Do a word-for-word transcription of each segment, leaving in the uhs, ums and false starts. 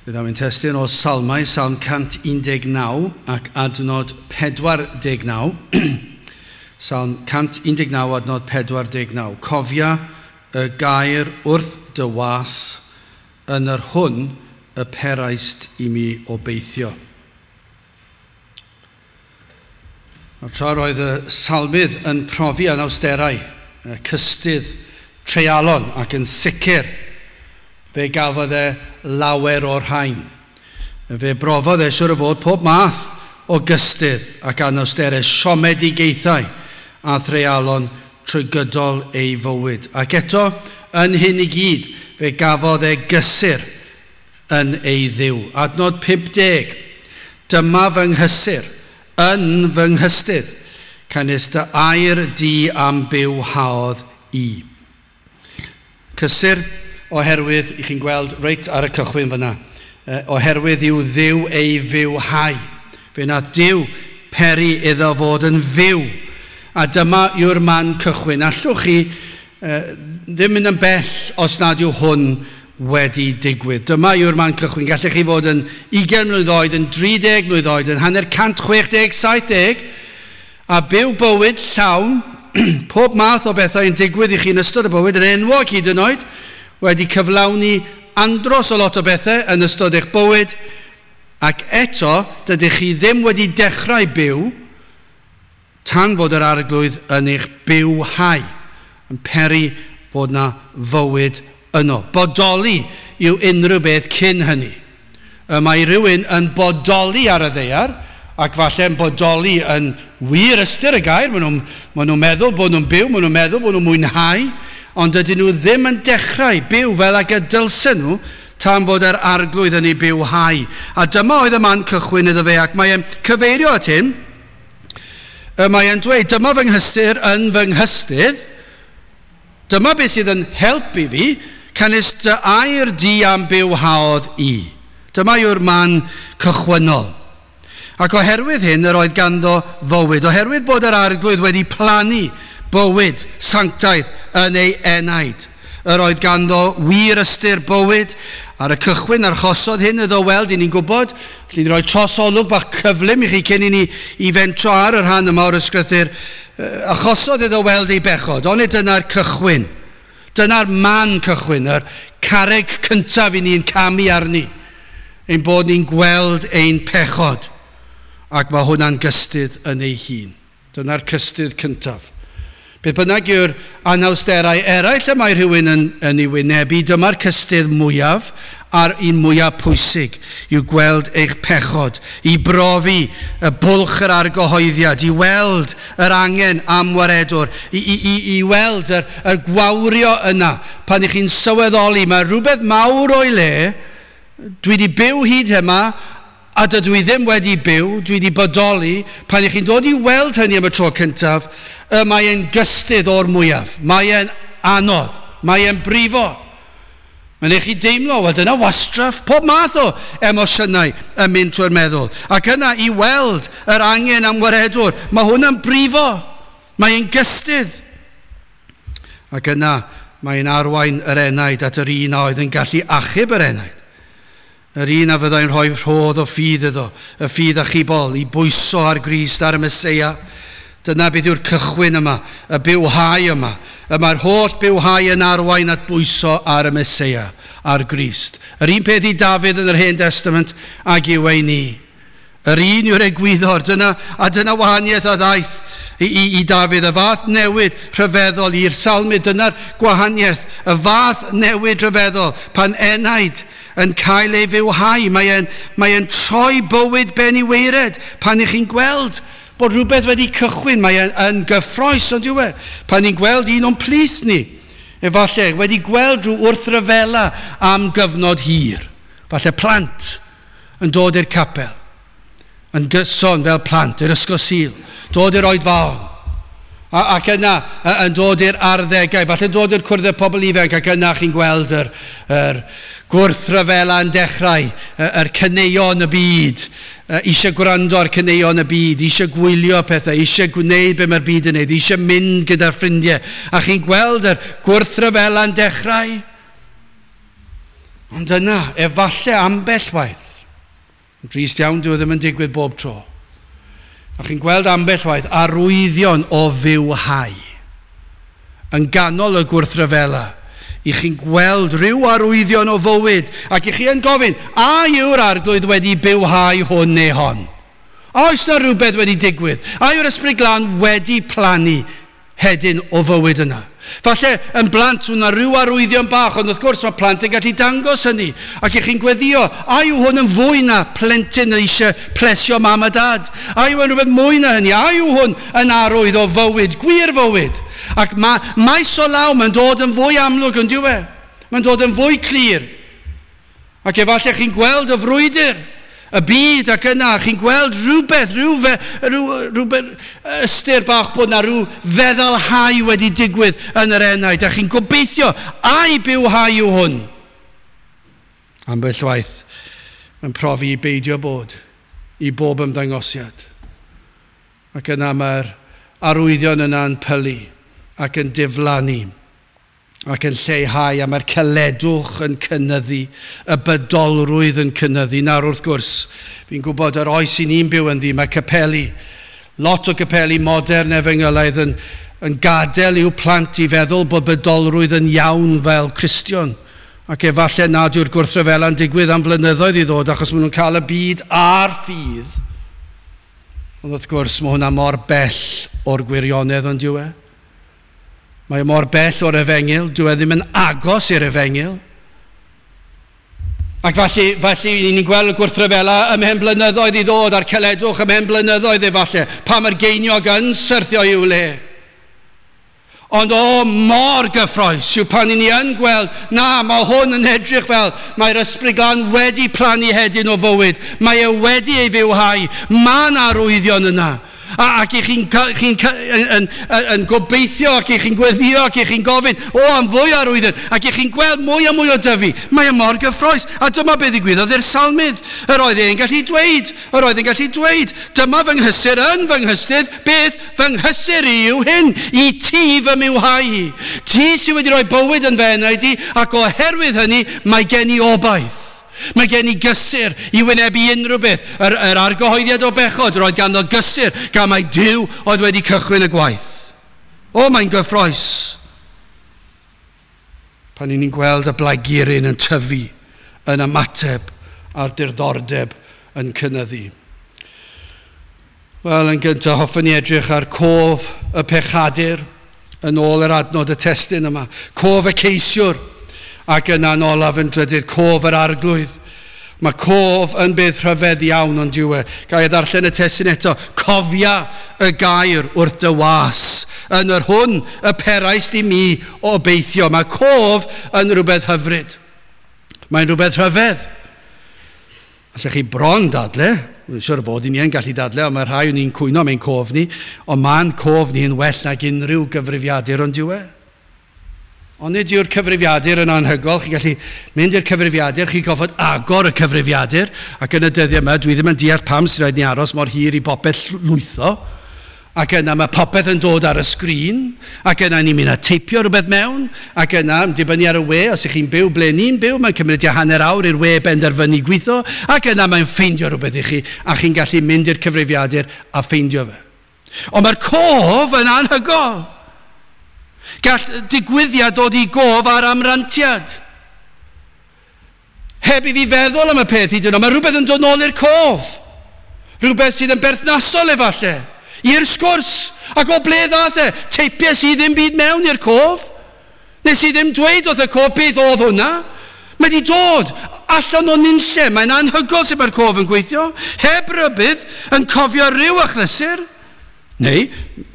Byddaf yn testun o Salmau, Salm cant un deg naw ac adnod pedwar deg naw. Salm cant un deg naw, adnod pedwar deg naw. Cofia y gair wrth dy was yn yr hwn y peraist i mi obeithio. Nawr, tra roedd y salmydd yn profi anawsterau, cystudd, treialon ac yn sicr, fe gafodd e lawer o'r rhain. Fe brofodd e siwr o fod pob math o gystudd ac anawsterau, siomedigaethau a threialon trwy gydol ei fywyd. Ac eto, yn hyn i gyd, fe gafodd e gysur yn ei Dduw. Adnod pump deg. Dyma fy nghysur, yn fy nghystudd, canys dy air di am bywhaodd i. Cysur oherwydd, i chi'n gweld reit ar y cychwyn fyna, oherwydd yw Dduw ei fywhau. Fe nath Duw peri iddo fod yn fyw. A dyma yw'r man cychwyn. Allwch chi eh, ddim mynd yn bell os nad yw hwn wedi digwydd. Dyma yw'r man cychwyn. Gallech chi fod yn ugain mlwydd oed, yn dri deg mlwydd oed, yn hanner cant chwech deg, saith deg, a byw bywyd llawn, pob math o bethau yn digwydd i chi yn ystod y bywyd, yn enwog hyd yn oed, wedi cyflawni andros o lot o bethau yn ystod eich bywyd, ac eto dydych chi ddim wedi dechrau byw tan fod yr Arglwydd yn eich bywhau, yn peri fod na fywyd yno. Bodoli yw unrhyw beth cyn hynny. Y mae rhywun yn bodoli ar y ddaear, ac falle yn bodoli yn wir ystyr y gair, maen nhw'n, maen nhw'n meddwl bod nhw'n byw, maen nhw'n meddwl bod nhw'n mwynhau, ond dydyn nhw ddim yn dechrau byw fel ag y dylsen nhw tan fod yr Arglwydd yn ei bywhau. A dyma oedd y man cychwyn iddo fe, ac mae e'n cyfeirio at hyn. Y mae e'n dweud, dyma fy nghysur yn fy nghystudd, dyma beth sydd yn helpu fi, canys dy air di am bywhaodd i. Dyma yw'r man cychwynnol. Ac oherwydd hyn, yr oedd ganddo fywyd. Oherwydd bod yr Arglwydd wedi plannu bywyd sanctaidd yn ei enaid. Yr oedd ganddo wir ystyr bywyd. Ar y cychwyn archosodd hyn iddo weld, i ni'n gwybod, allwn ni roi trosolwg bach cyflym i chi cyn i ni i fentro ar y rhan yma o'r ysgrythur. Achosodd iddo weld ei bechod, onid dyna'r cychwyn. Dyna'r man cychwyn, yr carreg cyntaf i ni'n camu arni, ein bod ni'n gweld ein pechod. Ac mae hwnna'n gystudd yn ei hun. Dyna'r cystudd cyntaf. Beth bynnag yw'r anawsterau eraill y mae rhywun yn, yn ei wynebu, dyma'r cystudd mwyaf a'r un mwyaf pwysig yw gweld eich pechod, i brofi y bwlch yr argyhoeddiad, i weld yr angen am waredwr, i, i, i, i weld yr, yr gwawrio yna pan ych chi'n sylweddoli mae rhywbeth mawr o'i le, dwi wedi byw hyd yma, a dydw i ddim wedi byw, dwi wedi bodoli, pan ych chi'n dod i weld hynny am y tro cyntaf, y mae e'n gystudd o'r mwyaf. Mae e'n anodd, mae e'n brifo. Mae'n eich chi deimlo, wel dyna wastraff, pob math o emosiynau yn mynd trwy'r meddwl. Ac yna i weld yr angen am waredwr, mae hwnna'n brifo, mae e'n gystudd. Ac yna mae'n arwain yr enaid at yr un a oedd yn gallu achub yr enaid. Yr un a fyddai'n rhoi rhodd o ffydd iddo, y ffydd achubol, i bwyso ar Grist, ar y Meseia. Dyna beth yw'r cychwyn yma, y bywhau yma. Y mae'r holl bywhau yn arwain at bwyso ar y Meseia, ar Grist. Yr un peth i Dafydd yn yr Hen Testament ag yw ei ni. Yr un yw'r egwyddor, dyna, a dyna wahaniaeth a ddaeth i, i, i Dafydd, y fath newid rhyfeddol i'r salmydd, dyna'r gwahaniaeth, y fath newid rhyfeddol, pan enaid yn cael ei fywhau, mae e'n, mae e'n troi bywyd ben i weired, pan ych chi'n gweld bod rhywbeth wedi cychwyn, mae e'n yn gyffrous, ond yw e, pan ni'n gweld un o'n plith ni, efallai wedi gweld rhyw wrthryfela am gyfnod hir, falle plant yn dod i'r capel, yn gyson fel plant i'r ysgol Sul, dod i'r oedfaon, a, ac yna yn dod i'r arddegau, falle dod i'r cwrdd y pobl ifanc, ac yna chi'n gweld yr, yr gwrthryfela yn dechrau, yr caneuon y byd, eisiau gwrando ar caneuon y byd, eisiau gwylio pethau, eisiau gwneud be mae'r byd yn neud, eisiau mynd gyda'r ffrindiau, a chi'n gweld yr gwrthryfela yn dechrau. Ond yna, efallai ambell waith, yn drist iawn dyw e ddim yn digwydd bob tro, a chi'n gweld ambell waith arwyddion o fywhau yn ganol y gwrthryfela. I chi'n gweld rhyw arwyddion o fywyd, ac i chi yn gofyn, a yw'r Arglwydd wedi bywhau hwn neu hon? A oes na rhywbeth wedi digwydd? A yw'r Ysbryd Glân wedi plannu hedyn o fywyd yna? Falle yn blant hwnna rhyw arwyddion bach, ond wrth gwrs mae plant yn gallu dangos hynny. Ac i chi'n gweddio, a yw hwn yn fwy na plentyn eisiau plesio mam a dad? A yw yn rhywbeth mwy na hynny? A yw hwn yn arwydd o fywyd, gwir fywyd? Ac mae maes o law, mae'n dod yn fwy amlwg yn dyw e. Mae'n dod yn fwy clir. Ac efallai chi'n gweld y frwydr, y byd ac yna, chi'n gweld rhywbeth, rhyw, rhyw, rhywbeth ystyr bach bod na rhyw feddylhau wedi digwydd yn yr enaid, a chi'n gobeithio, ai bywhau yw hwn? Ambell waith, mae'n profi i beidio bod, i bob ymddangosiad. Ac yna mae'r arwyddion yna'n pylu ac yn diflannu ac yn lleihau, a mae'r caledwch yn cynyddu, y bydolrwydd yn cynyddu. Nawr wrth gwrs, fi'n gwybod yr oes i ni'n byw ynddi, mae capeli, lot o capeli modern efengylaidd yn, yn gadael i'w plant i feddwl bod bydolrwydd yn iawn fel Cristion. Ac efallai nad yw'r gwrthryfela'n digwydd am flynyddoedd i ddod, achos maen nhw'n cael y byd a'r ffydd. Ond wrth gwrs, mae hwnna mor bell o'r gwirionedd ond yw e. Mae mor bell o'r efengyl, dyw e ddim yn agos i'r efengyl. Ac felly, felly ni'n gweld y gwrthryfela ymhen blynyddoedd i ddod a'r caledwch ymhen blynyddoedd efallai, pa mae'r geiniog yn syrthio i'w le. Ond o, mor gyffrous yw pan ni yn gweld, na, mae hwn yn edrych fel mae'r Ysbryd Glân wedi plannu hedyn o fywyd, mae e wedi ei fywhau, mae 'na arwyddion yna. A, ac i chi'n chi yn, yn, yn gobeithio, ac i chi'n gweddio, ac i chi'n gofyn, o, am fwy arwyddion, ac i chi'n gweld mwy a mwy o dyfu. Mae e mor gyffrous. A dyma beth ddigwyddodd i'r salmydd. Yr oedd e'n gallu dweud, yr oedd e'n gallu dweud, dyma fy nghysur yn fy nghystudd, beth fy nghysur i yw hyn, i ti fy mywhau i. Ti sydd wedi rhoi bywyd yn fy enaid i, ac oherwydd hynny, mae gen i obaith. Mae gen i gysur i wynebu unrhyw beth. Yr, yr argyhoeddiad o bechod, roedd ganddo gysur gan mai Duw oedd wedi cychwyn y gwaith. O, mae'n gyffrous. Pan ni'n gweld y blaguryn yn tyfu, yn ymateb a'r diddordeb yn cynyddu. Wel, yn gyntaf, hoffwn ni edrych ar cof y pechadur yn ôl yr adnod y testun yma. Cof y ceisiwr. Ac yna'n olaf yn drydydd, cof yr Arglwydd. Mae cof yn beth rhyfedd iawn ond yw e. Ga i ddarllen y testun eto. Cofia y gair wrth dy was, yn yr hwn y peraist i mi obeithio. Mae cof yn rhywbeth hyfryd. Mae'n rhywbeth rhyfedd. Allech chi bron dadle, dwi'n siŵr fod i ni yn gallu dadle, ond mae rhai o'n ni'n cwyno am ein cof ni, ond mae'n cof ni yn well nag unrhyw gyfrifiadur ond yw e. Ond nid yw'r cyfrifiadur yn anhygoel. Chi'n gallu mynd i'r cyfrifiadur, chi'n gorfod agor y cyfrifiadur, ac yn y dyddiau yma, dwi ddim yn deall pam sy'n rhaid ni aros mor hir i bopeth lwytho, ac yna mae popeth yn dod ar y sgrin, ac yna ni'n mynd a teipio rhywbeth mewn, ac yna, yn dibynnu ar y we, os ych chi'n byw ble ni'n byw, mae'n cymryd tua hanner awr i'r we benderfynu gweithio, ac yna mae'n ffeindio rhywbeth i chi, a chi'n gallu mynd i'r cyfrifiadur a ffeindio fe. Ond mae'r cof yn anhygoel. Gall digwyddiad dod i gof ar amrantiad. Heb i fi feddwl am y peth hyd yn oed, mae rhywbeth yn dod nôl i'r cof. Rhywbeth sydd yn berthnasol efallai, i'r sgwrs. Ac o ble ddath e? Teipies i ddim byd mewn i'r cof. Nes i ddim dweud wrth y cof beth oedd hwnna. Mae wedi dod allan o nunlle. Mae'n anhygoel sut mae'r cof yn gweithio. Heb rybudd, yn cofio rhyw achlysur. Neu,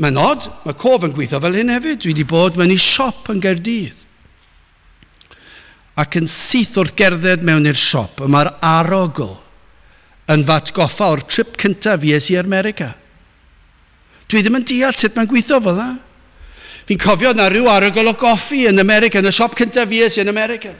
mae'n od, mae cof yn gweithio fel hyn hefyd. Dwi wedi bod mewn i siop yn Gaerdydd. Ac yn syth wrth gerdded mewn i'r siop, y mae'r arogl yn f'atgoffa o'r trip cyntaf fi es i America. Dwi ddim yn deall sut mae'n gweithio fel la. Fi'n cofio na rhyw arogl o goffi yn America, yn y siop cyntaf fi es i yn America.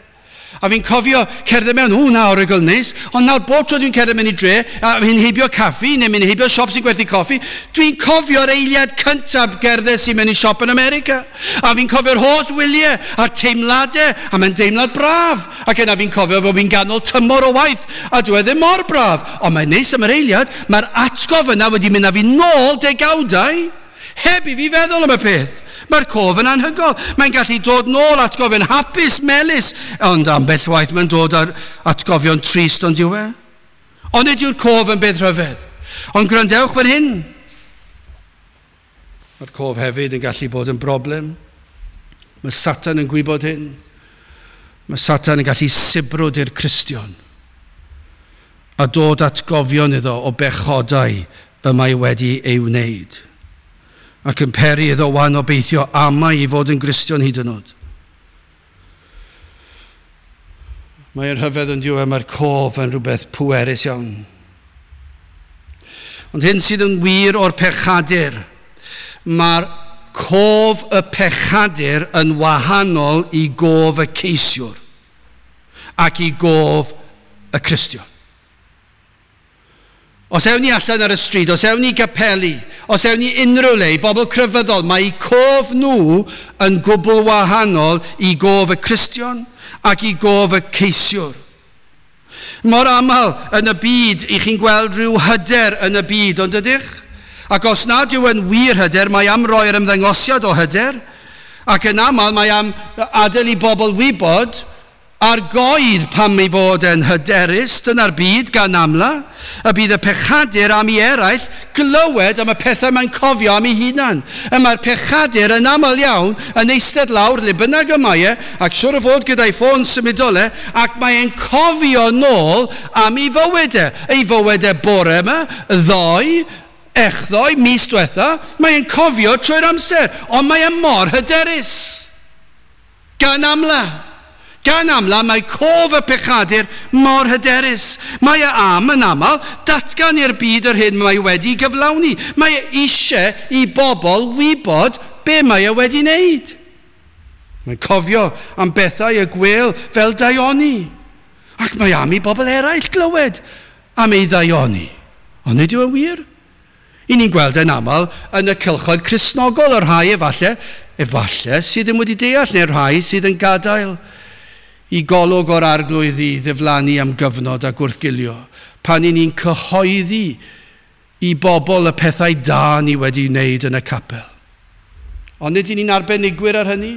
A fi'n cofio cerdded mewn, o na, origl neis, ond nawr bob tro dwi'n cerdded mewn i dre, a fi'n heibio caffi, neu mynd heibio siop sy'n gwerthu coffi, dwi'n cofio'r eiliad cyntaf gerdded sy'n mynd i siop yn America. A fi'n cofio'r holl wyliau a'r teimladau, a mae'n deimlad braf. Ac yna fi'n cofio bod fi'n ganol tymor o waith, a dwi e ddim mor braf. Ond mae'n neis am yr eiliad, mae'r atgof yna wedi mynd â fi nôl degawdau, heb i fi feddwl am y peth. Mae'r cof yn anhygoel. Mae'n gallu dod nôl atgofion hapus, melus, ond ambell waith mae'n dod ar atgofion trist, ond yw e? Ond nid yw'r cof yn beth rhyfedd. Ond gwrandewch fan hyn. Mae'r cof hefyd yn gallu bod yn broblem. Mae Satan yn gwybod hyn. Mae Satan yn gallu sibrwd i'r Cristion a dod atgofion iddo o bechodau y mae wedi ei wneud, ac yn peri iddo wan obeithio amau i fod yn Gristion hyd yn oed. Mae'n rhyfedd yn diw, mae'r cof yn rhywbeth pwerus iawn. Ond hyn sydd yn wir o'r pechadur, mae'r cof y pechadur yn wahanol i gof y ceisiwr ac i gof y Cristion. Os ewn ni allan ar y stryd, os ewn ni gapeli, os ewn ni unrhyw le, i bobl crefyddol, mae eu cof nhw yn gwbl wahanol i gof y Cristion ac i gof y ceisiwr. Mor aml yn y byd, i chi'n gweld rhyw hyder yn y byd, ond ydych? Ac os nad yw yn wir hyder, mae am roi'r ymddangosiad o hyder, ac yn aml mae am adael i bobl wybod ar goed pam ei fod yn hyderus, dyna'r byd gan amla, y bydd y pechadur am i eraill glywed am y pethau mae'n cofio am ei hunan. Y mae'r pechadur yn aml iawn yn eistedd lawr le bynnag y mae e, ac siwr o fod gyda'i ffôn symudol e, ac mae'n cofio nôl am ei fywyd e. Ei fywyd e bore yma, ddoe, echddoe, mis diwetha, mae'n cofio trwy'r amser, ond mae e mor hyderus. Gan amla. Gan amla, mae cof y pechadur mor hyderus. Mae e am yn aml datgan i'r byd yr hyn mae wedi gyflawni. Mae e eisiau i bobl wybod be mae e wedi wneud. Mae'n cofio am bethau y gwel fel daioni. Ac mae am i bobl eraill glywed am ei ddaioni. Ond nid yw yn wir. I ni'n gweld yn aml yn y cylchoedd Cristnogol, y rhai efallai, efallai sydd ddim wedi deall, neu'r rhai sydd yn gadael i golwg o'r arglwydd i ddiflannu am gyfnod a gwrthgilio, pan i ni'n cyhoeddi i bobl y pethau da ni wedi wneud yn y capel. Ond nid i ni'n arbenigwyr ar hynny.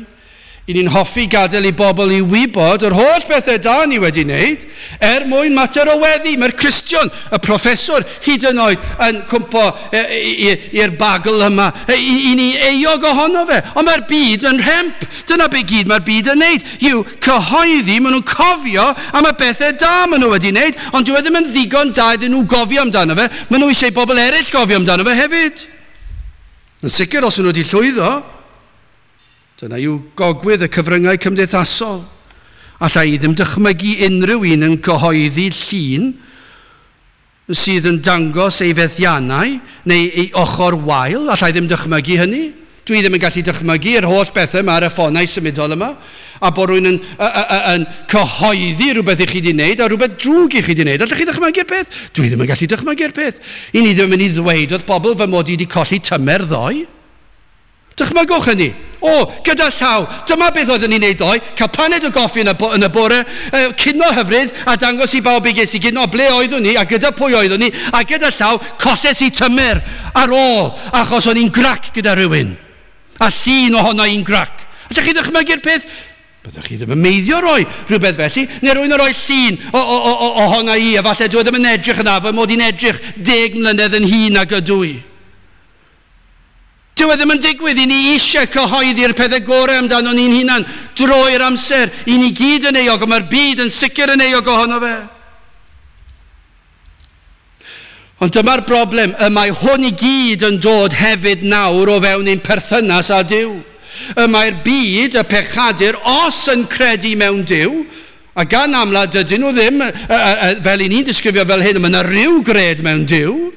I ni'n hoffi gadael i bobl i wybod yr holl bethau da ni wedi wneud er mwyn mater o weddi. Mae'r Cristion, y proffeswr, hyd yn oed yn cwmpo i'r bagl yma. I, i ni euog ohono fe. Ond mae'r byd yn rhemp. Dyna be gyd mae'r byd yn wneud. Yw cyhoeddi, maen nhw'n cofio am y bethau da maen nhw wedi wneud, ond dyw e ddim yn ddigon da iddyn nhw gofio amdano fe. Maen nhw eisiau bobl eraill gofio amdano fe hefyd. Yn sicr, os nhw wedi llwyddo, dyna yw gogwydd y cyfryngau cymdeithasol. Alla i ddim dychmygu unrhyw un yn cyhoeddi llun sydd yn dangos ei fethiannau neu ei ochr wael. Alla i ddim dychmygu hynny. Dwi ddim yn gallu dychmygu yr holl bethau yma ar y ffonau symudol yma, a bod rhywun yn, y, y, y, yn cyhoeddi rhywbeth i chi wedi wneud a rhywbeth drwg i chi wedi wneud. Allwch chi dychmygu'r peth? Dwi ddim yn gallu dychmygu'r peth. I ni ddim yn mynd i ddweud wrth bobl fy mod i wedi colli tymer ddoe. Dychmygwch hynny. O, gyda llaw, dyma beth oeddwn ni'n neud ddoe, cael paned o goffi yn y, bo, yn y bore, uh, cino hyfryd, a dangos i bawb i ges i gino ble oeddwn ni, a gyda pwy oeddwn ni, a gyda llaw, colles i tymer ar ôl, achos o'n i'n grac gyda rhywun. A llun ohono i'n grac. Allwch chi ddychmygu'r peth? Byddwch chi ddim yn meiddio roi rhywbeth felly, neu rwy'n roi llun o, o, o, o, ohono i, a falle dwi ddim yn edrych yna, fy mod i'n edrych deg mlynedd yn hŷn nag ydw i. Dyw e ddim yn digwydd, i ni eisiau cyhoeddi'r pethau gorau amdano ni'n hunan drwy'r amser. I ni gyd yn euog, ond mae'r byd yn sicr yn euog ohono fe. Ond dyma'r broblem, y mae hwn i gyd yn dod hefyd nawr o fewn ein perthynas â Duw. Y mae'r byd, y pechadur, os yn credu mewn Duw, a gan amla dydyn nhw ddim, fel i ni'n disgrifio fel hyn, mae yna rhyw gred mewn Duw.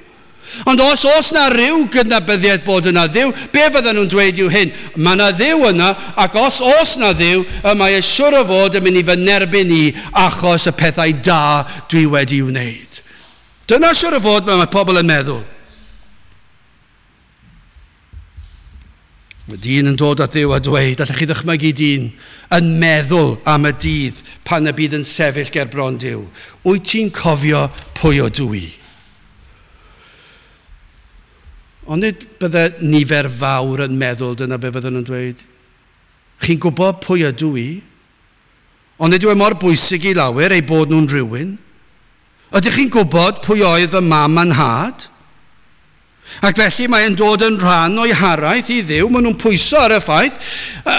Ond os oes na ryw gydnabyddiaeth bod yna Dduw, be fydden nhw'n dweud yw hyn? Mae yna Dduw yna, ac os oes na Dduw, y mae e siŵr o fod yn mynd i fy nerbyn i achos y pethau da dwi wedi wneud. Dyna siŵr o fod mae pobl yn meddwl. Mae dyn yn dod at Dduw a dweud, allech chi ddychmygu dyn yn meddwl am y dydd pan y bydd yn sefyll ger bron Duw. Wyt ti'n cofio pwy ydw i? Ond nid bydde nifer fawr yn meddwl dyna be fydden nhw'n dweud. Chi'n gwybod pwy ydw i? Ond nid yw e mor bwysig i lawer eu bod nhw'n rhywun. Ydych chi'n gwybod pwy oedd fy mam a'n nhad? Ac felly mae'n dod yn rhan o'i haraith i Dduw. Maen nhw'n pwyso ar y ffaith.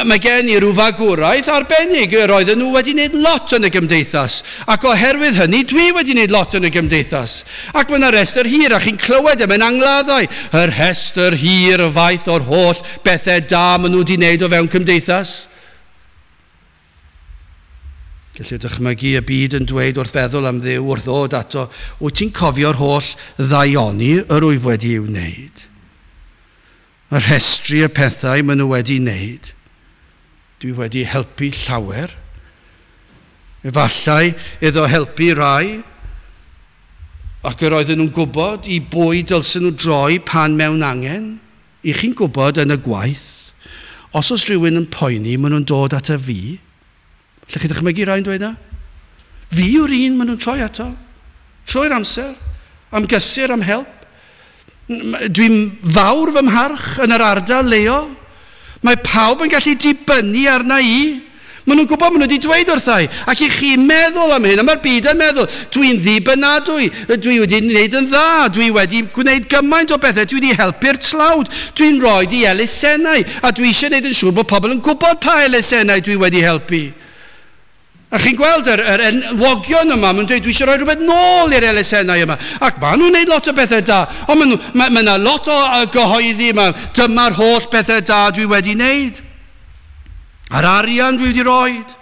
Mae gen i rhyw fagwraeth arbennig. Roedden nhw wedi gwneud lot yn y gymdeithas. Ac oherwydd hynny, dwi wedi gwneud lot yn y gymdeithas. Ac mae yna rhestr hir, a chi'n clywed e mewn angladdau. Y rhestr hir y faith o'r holl bethau da maen nhw wedi gwneud o fewn cymdeithas. Gellir dychmygu y byd yn dweud wrth feddwl am Dduw, wrth ddod ato, wyt ti'n cofio'r holl ddaioni yr wyf wedi i'w wneud? Y rhestru y pethau maen nhw wedi wneud. Dwi wedi helpu llawer. Efallai iddo helpu rai, ac yr oedden nhw'n gwybod i bwy dylsyn nhw droi pan mewn angen. I chi'n gwybod yn y gwaith, os oes rhywun yn poeni, maen nhw'n dod at y fi. Lle chi ddychmygu rhai'n dweud na? Fi yw'r un maen nhw'n troi ato. Troi'r amser, am gysur, am help. Dwi'n fawr fy mharch yn yr ardal leol. Mae pawb yn gallu dibynnu arna i. Maen nhw'n gwybod, maen nhw wedi dweud wrthai. Ac i chi'n meddwl am hyn, a mae'r byd yn meddwl, dwi'n ddibynadwy, dwi wedi gwneud yn dda, dwi wedi gwneud gymaint o bethau, dwi wedi helpu'r tlawd, dwi'n rhoi i elusennau, a dwi eisiau gwneud yn siŵr bod pobl yn gwybod pa elusennau dwi wedi helpu. A chi'n gweld yr, yr enwogion yma, maen nhw'n dweud, dwi eisiau rhoi rhywbeth nôl i'r elusennau yma. Ac maen nhw'n gwneud lot o bethau da. Ond maen nhw, mae, mae yna lot o gyhoeddi yma, dyma'r holl bethau da dwi wedi wneud. A'r arian dwi wedi roed.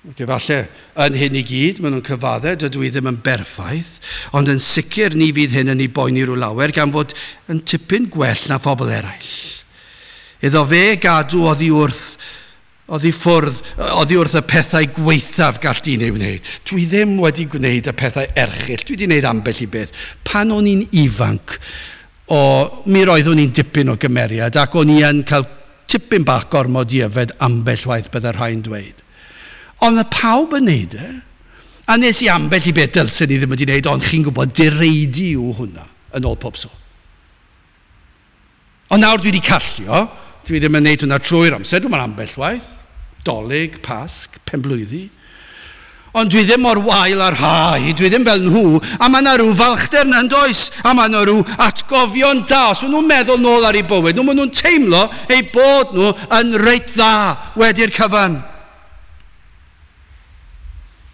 Ac efallai yn hyn i gyd, maen nhw'n cyfadde, dydw i ddim yn berffaith, ond yn sicr ni fydd hyn yn ei boeni rhyw lawer, gan fod yn tipyn gwell na phobl eraill. Iddo fe gadw oddi wrth Oddi ffwrdd, oddi wrth y pethau gwaethaf gall dyn ei wneud. Dwi ddim wedi gwneud y pethau erchyll. Dwi wedi gwneud ambell i beth. Pan o'n i'n ifanc, o, mi roeddwn i'n dipyn o gymeriad ac o'n i yn cael tipyn bach gormod i yfed ambell waith bydde rhai'n dweud. Ond mae pawb yn neud e. A nes i ambell i beth dylsen i ddim wedi wneud, ond chi'n gwybod, direidi yw hwnna, yn ôl pob sôn. Ond nawr dwi wedi callio, dwi ddim yn neud hwnna trwy'r amser, dwi'n ambell waith. Dolig, Pasg, penblwyddi. Ond dwi ddim mor wael ar rhai, dwi ddim fel nhw, a mae yna rhyw falchder yna yn does, a mae yna rhyw atgofion da. Os maen nhw'n meddwl nôl ar eu bywyd, nhw maen nhw'n teimlo eu bod nhw yn reit dda wedi'r cyfan.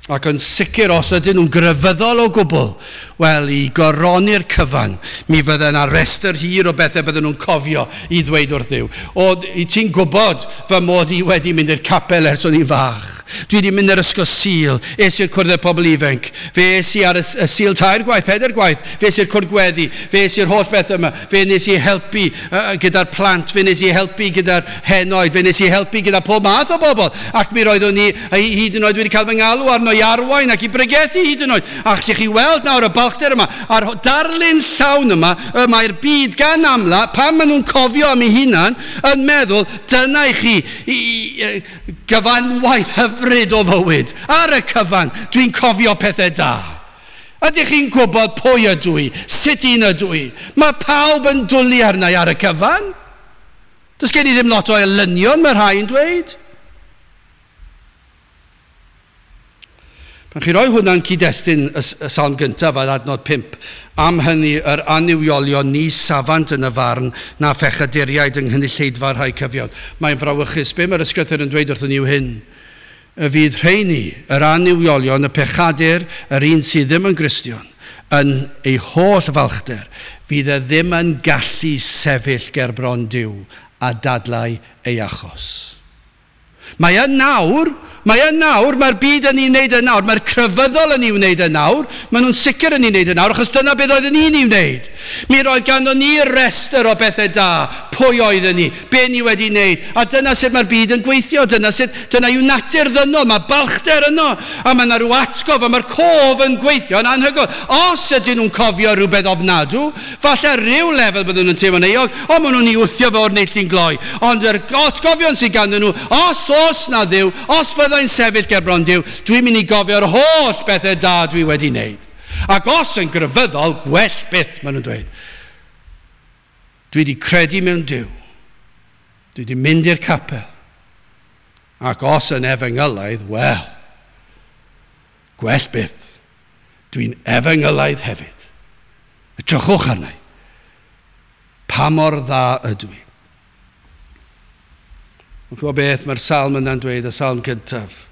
Ac yn sicr os ydyn nhw'n grefyddol o gwbl, wel, i goroni'r cyfan, mi fydde yna restr hir o bethau bydden nhw'n cofio i ddweud wrth Dduw. O, i ti'n gwybod fy mod i wedi mynd i'r capel ers o'n i'n fach. Dwi wedi mynd i'r ysgol Sul, es i'r cwrdd â pobl ifanc, fe es i ar y, y Sul tair gwaith, pedair gwaith, fe es i'r cwrdd gweddi, fe es i'r holl beth yma, fe nes i helpu uh, gyda'r plant, fe nes i helpu gyda'r henoed, fe nes i helpu gyda pob math o bobl. Ac mi roeddwn i hyd yn oed wedi cael fy ngalw arno i arwain ac i bregethu hyd yn oed. A allwch chi weld nawr y balchder yma, a'r darlun llawn yma, y mae'r byd gan amla, pan maen nhw'n cofio am eu hunan, yn meddwl, dyna i chi i, i, gyfanwaith hyfryd o fywyd. Ar y cyfan, dwi'n cofio pethau da. Ydych chi'n gwybod pwy ydw i? Sut un ydw i? Mae pawb yn dwlu arna i ar y cyfan. Does gen i ddim lot o elynion, mae rhai yn dweud. Pan chi roi hwnna'n cyd-destun y, y salm gyntaf ar adnod pump, am hynny yr annuwiolion ni safant yn y farn na phechaduriaid yng nghynulleidfa'r rhai cyfiawn. Mae'n frawychus. Be mae'r ysgrythur yn dweud wrthon ni yw hyn? Y fydd rheini, yr annuwiolion, y pechadur, yr un sydd ddim yn Gristion, yn ei holl falchder, fydd e ddim yn gallu sefyll ger bron Duw a dadlau ei achos. Mae yn nawr, Mae yn nawr, mae'r byd yn ei wneud yn nawr, mae'r crefyddol yn ei wneud yn nawr, maen nhw'n sicr yn ei wneud yn nawr, achos dyna beth oedden ni'n ei wneud. Mi roedd ganddo ni restr o bethau da, pwy oedden ni, be ni wedi wneud, a dyna sut mae'r byd yn gweithio, dyna sut, dyna yw natur ddynol, mae balchder yno, a mae yna rhyw atgof, a mae'r cof yn gweithio yn anhygoel. Os ydyn nhw'n cofio rhywbeth ofnadw, falle rhyw lefel byddwn nhw'n teimlo'n euog, o maen nhw'n ei wthio fe o'r neilltu'n gloi, ond yr atgofion sydd ganddyn nhw, os oes na Dduw, os fydda i'n sefyll gerbron Duw, dwi'n mynd i gofio'r holl bethau da dwi wedi wneud. Ac os yn grefyddol, gwell byth, maen nhw'n dweud. Dwi wedi credu mewn Duw. Dwi wedi mynd i'r capel. Ac os yn efengylaidd, wel, gwell byth. Dwi'n efengylaidd hefyd. Edrychwch arna i. Pa mor dda ydw i? Ond gwybod beth mae'r salm yna'n dweud, y salm cyntaf?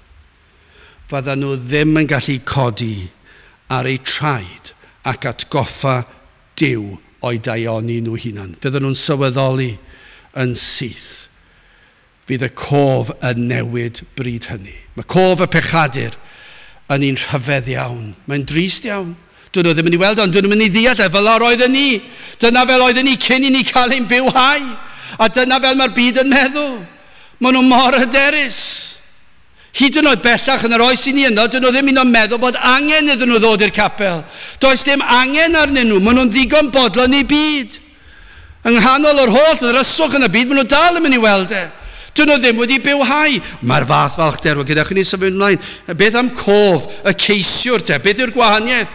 Fyddan nhw ddim yn gallu codi ar eu traed ac atgoffa Duw o'i daioni nhw hunan. Fyddan nhw'n sylweddoli yn syth. Fydd y cof yn newid bryd hynny. Mae cof y pechadur yn un rhyfedd iawn. Mae'n drist iawn. Dyn nhw ddim yn ei weld, ond dyn nhw'n mynd i ddeall e fel yr oedden ni. Dyna fel oedden ni cyn i ni cael ein bywhau. A dyna fel mae'r byd yn meddwl. Maen nhw mor hyderus. Hyd yn oed bellach yn yr oes i ni yno, dyn nhw ddim un o'n meddwl bod angen iddyn nhw ddod i'r capel. Does dim angen arnyn nhw, maen nhw'n ddigon bodlon i byd. Yng nghanol yr holl ddryswch yn y byd, maen nhw dal yn mynd i weld e. Dyn nhw ddim wedi bywhau. Mae'r fath falchder, wel, gyda chi ni symud ymlaen. Beth am cof y ceisiwr te? Beth yw'r gwahaniaeth?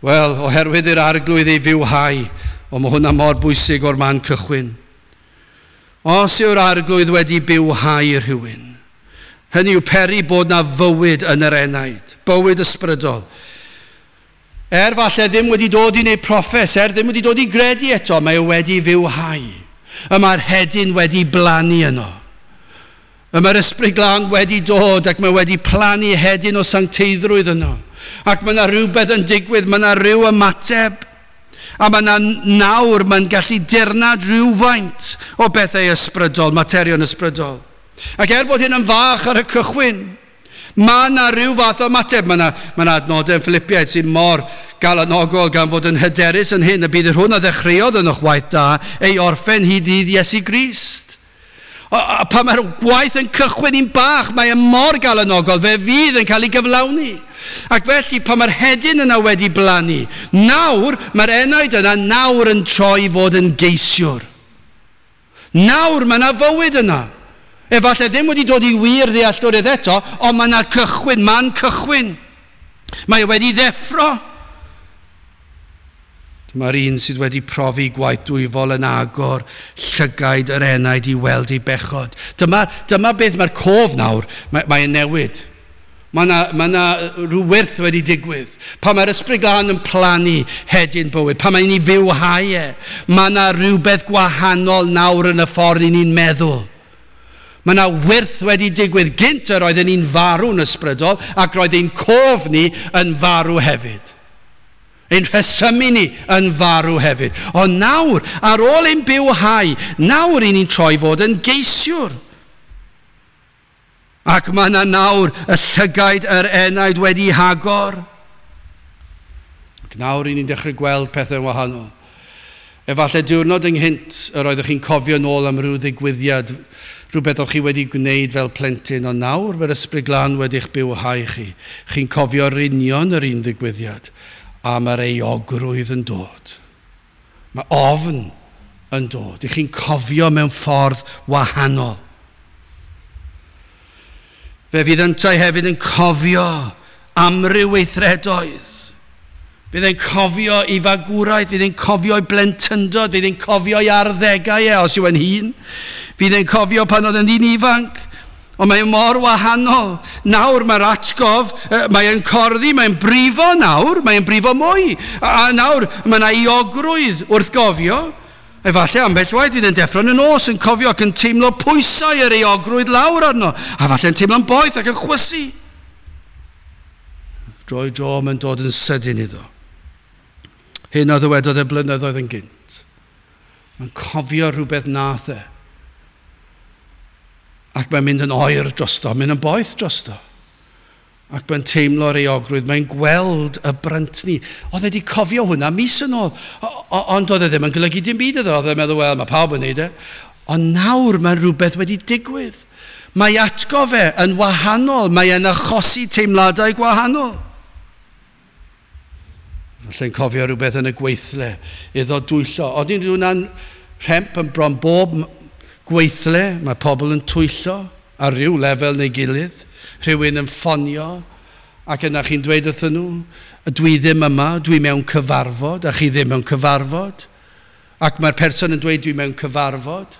Wel, oherwydd i'r Arglwydd ei fywhau, o mae hwnna mor bwysig o'r man cychwyn. Os yw'r Arglwydd wedi bywhau rhywun, hynny yw peri bod na fywyd yn yr enaid, bywyd ysbrydol. Er falle ddim wedi dod i wneud proffes, er ddim wedi dod i gredu eto, mae o wedi fywhau. Y mae'r hedyn wedi blannu yno. Y mae'r Ysbryd Glân wedi dod ac mae wedi plannu hedyn o sancteiddrwydd yno. Ac mae yna rhywbeth yn digwydd, mae yna rhyw ymateb. A mae yna nawr, mae'n gallu dirnad rhywfaint o bethau ysbrydol, materion ysbrydol. Ac er bod hyn yn fach ar y cychwyn, mae yna rhyw fath o ymateb. Mae yna, mae yna adnodau yn Philippiaid sy'n mor galanogol gan fod yn hyderus yn hyn, y bydd yr hwn a ddechreuodd yn o'ch waith da ei orffen hyd ddydd Iesu Grist. A, a pan mae'r gwaith yn cychwyn i'n bach, mae e mor galanogol, fe fydd yn cael ei gyflawni. Ac felly, pan mae'r hedyn yna wedi blannu, nawr, mae'r enaid yna nawr yn troi fod yn geisiwr. Nawr mae yna fywyd yna. Efallai ddim wedi dod i wir ddealltwriaeth eto, ond mae yna cychwyn, man cychwyn. Mae e wedi ddeffro. Dyma'r un sydd wedi profi gwaith dwyfol yn agor llygaid yr enaid i weld ei bechod. Dyma, dyma beth mae'r cof nawr, mae, mae'n newid. Mae yna, mae yna rhyw wyrth wedi digwydd. Pan mae'r Ysbryd Glân yn plannu hedyn bywyd, pan mae'n ei fywhau e, mae yna rhywbeth gwahanol nawr yn y ffordd i ni'n meddwl. Mae yna wyrth wedi digwydd. Gynt yr oedden ni'n farw'n ysbrydol ac roedd ein cof ni yn farw hefyd. Ein rhesymu ni yn farw hefyd. Ond nawr, ar ôl ein bywhau, nawr i ni'n troi fod yn geisiwr. Ac mae yna nawr y llygaid yr enaid wedi hagor. Ac nawr i ni'n dechrau gweld pethau'n wahanol. Efallai diwrnod ynghynt yr oeddech chi'n cofio nôl am ryw ddigwyddiad, rhywbeth o'ch chi wedi gwneud fel plentyn, ond nawr mae'r Ysbryd Glân wedi'ch bywhau chi. Chi'n cofio'r union yr un ddigwyddiad, a mae'r euogrwydd yn dod. Mae ofn yn dod. I chi'n cofio mewn ffordd wahanol. Fe fydd yntau hefyd yn cofio amryw weithredoedd. Fydd e'n cofio ei fagwraeth, fydd e'n cofio ei blentyndod, fydd e'n cofio ei arddegau e, os yw e'n hŷn. Fydd e'n cofio pan oedd e'n ddyn ifanc. Ond mae mor wahanol. Nawr mae'r atgof, mae e'n corddi, mae'n brifo nawr, mae'n brifo mwy. A, a nawr mae yna euogrwydd wrth gofio. Efallai ambell waith fydd yn deffro yn y nos yn cofio ac yn teimlo pwysau yr euogrwydd lawr arno. A falle'n teimlo'n boeth ac yn chwysu. Droi dro mae'n dod yn sydyn iddo. Hyn a ddywedodd e blynyddoedd yn gynt. Mae'n cofio rhywbeth nath e. Ac mae'n mynd yn oer drosto, mynd yn boeth drosto. Ac mae'n teimlo'r euogrwydd, mae'n gweld y bryntni. Oedd e wedi cofio hwnna mis yn ôl, ond oedd e ddim yn golygu dim byd iddo. Oedd e'n meddwl, wel, mae pawb yn neud e. Ond nawr mae rhywbeth wedi digwydd. Mae atgof e yn wahanol, mae e'n achosi teimladau gwahanol. Falle'n cofio rhywbeth yn y gweithle, iddo dwyllo. Ond un hwnna'n rhemp yn bron bob gweithle, mae pobl yn twyllo ar ryw lefel neu gilydd, rhywun yn ffonio, ac yna chi'n dweud wrthyn nhw, dwi ddim yma, dwi mewn cyfarfod, a chi ddim mewn cyfarfod. Ac mae'r person yn dweud dwi mewn cyfarfod.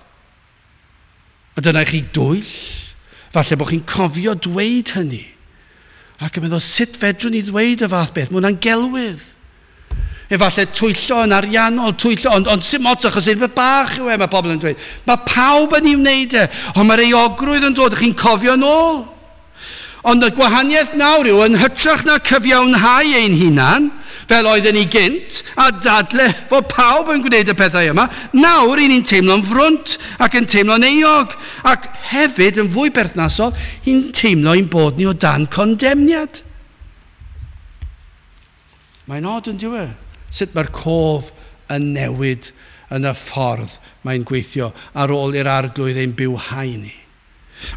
A dyna chi dwyll. Falle bod chi'n cofio dweud hynny. Ac yn meddwl, sut fedrwn ni ddweud y fath beth? Mae hwnna'n gelwydd. Efallai twyllo yn ariannol, twyllo, ond, ond sim ots achos rhywbeth bach yw e, mae pobl yn dweud. Mae pawb yn ei wneud e, ond mae'r euogrwydd yn dod, chi'n cofio nôl. Ond y gwahaniaeth nawr yw yn hytrach na cyfiawnhau ein hunan, fel oedden ni gynt, a dadle fod pawb yn gwneud y pethau yma, nawr i ni'n teimlo'n frwnt ac yn teimlo'n euog, ac hefyd yn fwy berthnasol, i'n teimlo ein bod ni o dan condemniad. Mae'n od yn dyw e? Sut mae'r cof yn newid yn y ffordd mae'n gweithio ar ôl i'r arglwydd ein bywhau ni.